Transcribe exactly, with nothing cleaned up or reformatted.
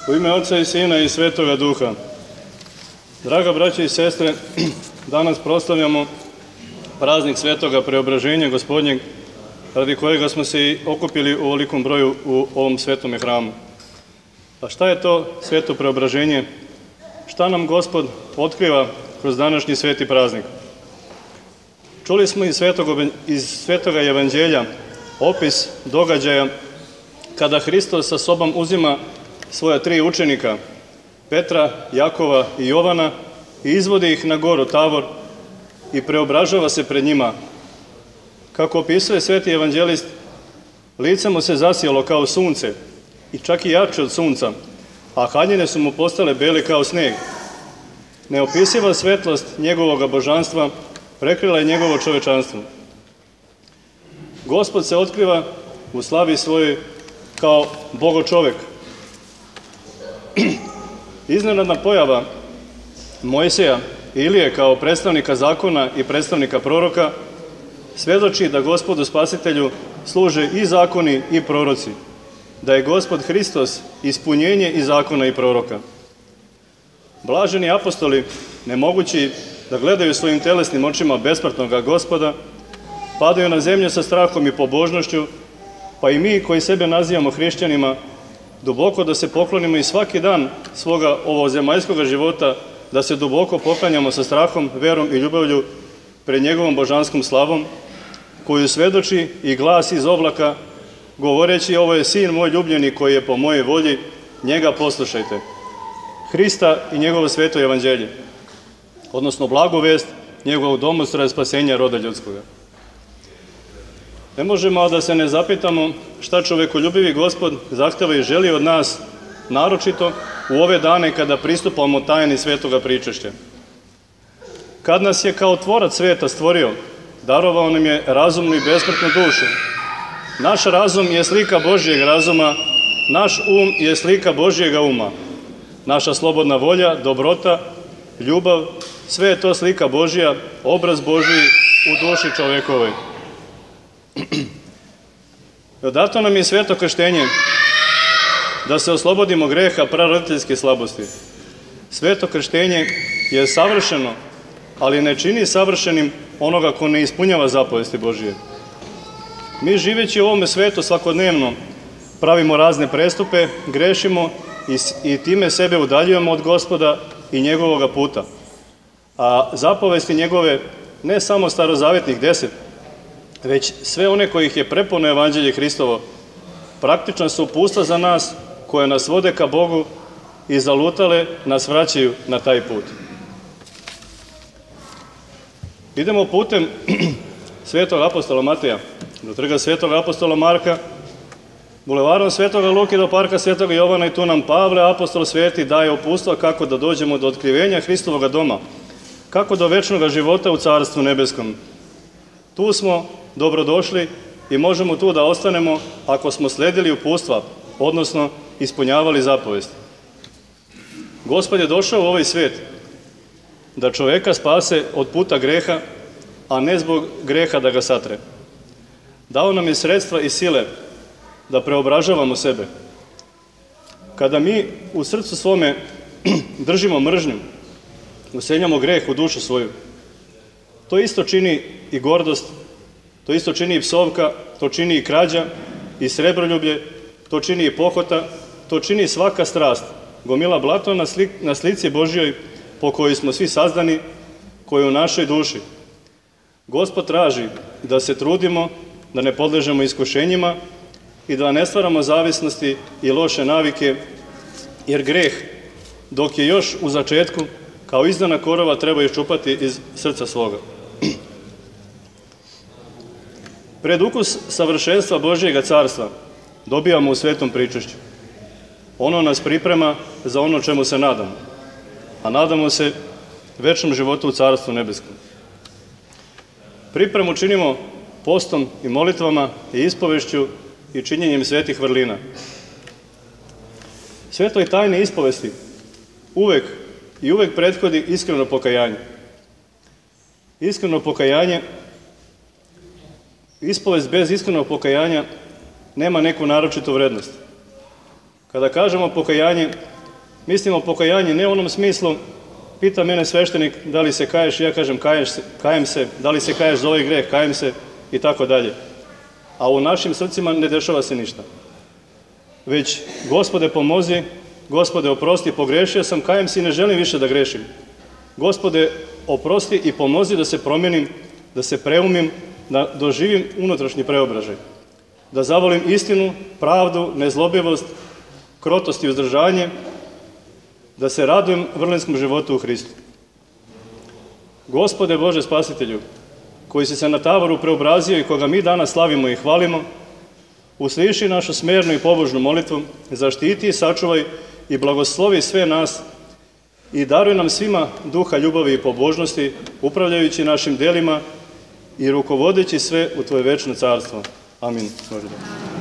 U ime Oca i Sina i Svetoga Duha. Draga braćo i sestre, danas proslavljamo praznik Svetoga Preobraženja Gospodnjeg, radi kojega smo se i okupili u ovolikom broju u ovom svetome hramu. A šta je to Sveto Preobraženje? Šta nam Gospod otkriva kroz današnji sveti praznik? Čuli smo iz Svetoga, iz Svetoga Evanđelja opis događaja kada Hristos sa sobom uzima svoja tri učenika, Petra, Jakova i Jovana, i izvodi ih na goru Tavor i preobražava se pred njima. Kako opisuje sveti evanđelist, lice mu se zasijalo kao sunce i čak i jače od sunca, a haljine su mu postale bele kao sneg. Neopisiva svetlost njegovog božanstva prekrila je njegovo čovečanstvo. Gospod se otkriva u slavi svojoj kao Bogo-čovek. Iznenadna pojava Mojsija i Ilije kao predstavnika zakona i predstavnika proroka svedoči da Gospodu Spasitelju služe i zakoni i proroci, da je Gospod Hristos ispunjenje i zakona i proroka. Blaženi apostoli, nemogući da gledaju svojim telesnim očima besmrtnoga Gospoda, padaju na zemlju sa strahom i pobožnošću, pa i mi koji sebe nazivamo hrišćanima, duboko da se poklonimo i svaki dan svoga ovozemaljskoga života, da se duboko poklanjamo sa strahom, verom i ljubavlju pred njegovom božanskom slavom, koju svedoči i glas iz oblaka, govoreći: ovo je sin moj ljubljeni koji je po mojoj volji, njega poslušajte. Hrista i njegovo sveto evanđelje, odnosno blagu vest njegovog domostroja spasenja roda ljudskoga. Ne možemo a da se ne zapitamo šta čovekoljubivi Gospod zahteva i želi od nas, naročito u ove dane kada pristupamo tajni svetoga pričešća. Kad nas je kao tvorac sveta stvorio, darovao nam je razumnu i besmrtnu dušu. Naš razum je slika Božjeg razuma, naš um je slika Božjega uma. Naša slobodna volja, dobrota, ljubav, sve je to slika Božja, obraz Božji u duši čovekovoj. Dato nam je sveto krštenje da se oslobodimo greha praroditeljske slabosti. Sveto krštenje je savršeno, ali ne čini savršenim onoga ko ne ispunjava zapovesti Božije. Mi živeći u ovome svetu svakodnevno pravimo razne prestupe, grešimo i, i time sebe udaljujemo od Gospoda i njegovoga puta. A zapovesti njegove, ne samo starozavetnih deset, već sve one kojih je prepuno evanđelje Hristovo, praktično su upustva za nas koje nas vode ka Bogu i zalutale nas vraćaju na taj put. Idemo putem svetog apostola Mateja do trga svetog apostola Marka, bulevarom svetoga Luke do parka svetoga Jovana, i tu nam Pavle, apostol sveti, daje upustva kako da dođemo do otkrivenja Hristovoga doma, kako do večnog života u Carstvu nebeskom. Tu smo dobrodošli i možemo tu da ostanemo ako smo sledili upustva, odnosno ispunjavali zapovesti. Gospod je došao u ovaj svet da čoveka spase od puta greha, a ne zbog greha da ga satre. Dao nam je sredstva i sile da preobražavamo sebe. Kada mi u srcu svome držimo mržnju, useljamo greh u dušu svoju, to isto čini i gordost, to isto čini i psovka, to čini i krađa i srebroljublje, to čini i pohota, to čini svaka strast, gomila blato na, slik, na slici Božjoj po kojoj smo svi sazdani, koji je u našoj duši. Gospod traži da se trudimo, da ne podležemo iskušenjima i da ne stvaramo zavisnosti i loše navike, jer greh, dok je još u začetku, kao izdana korova, treba iščupati iz srca svoga. Pred ukus savršenstva Božjega carstva dobijamo u svetom pričešću. Ono nas priprema za ono čemu se nadamo, a nadamo se večnom životu u Carstvu nebeskom. Pripremu činimo postom i molitvama i ispovešću i činjenjem svetih vrlina. Svetoj tajni ispovesti uvek i uvek prethodi iskreno pokajanje. Iskreno pokajanje, ispovest bez iskrenog pokajanja nema neku naročitu vrednost. Kada kažemo pokajanje, mislimo pokajanje ne u onom smislu, pita mene sveštenik da li se kaješ, ja kažem kaješ se, kajem se, da li se kaješ za ovaj greh, kajem se i tako dalje. A u našim srcima ne dešava se ništa. Već, Gospode pomozi, Gospode oprosti, pogrešio sam, kajem se i ne želim više da grešim. Gospode oprosti i pomozi da se promenim, da se preumim, da doživim unutrašnji preobražaj. Da zavolim istinu, pravdu, nezlobivost, krotost i uzdržanje, da se radujem vrlinskom životu u Hristu. Gospode Bože Spasitelju, koji si se na Tavoru preobrazio i koga mi danas slavimo i hvalimo, usliši našu smernu i pobožnu molitvu, zaštiti i sačuvaj i blagoslovi sve nas i daruj nam svima duha ljubavi i pobožnosti, upravljajući našim delima i rukovodeći sve u Tvoje večno carstvo. Amin. Može da.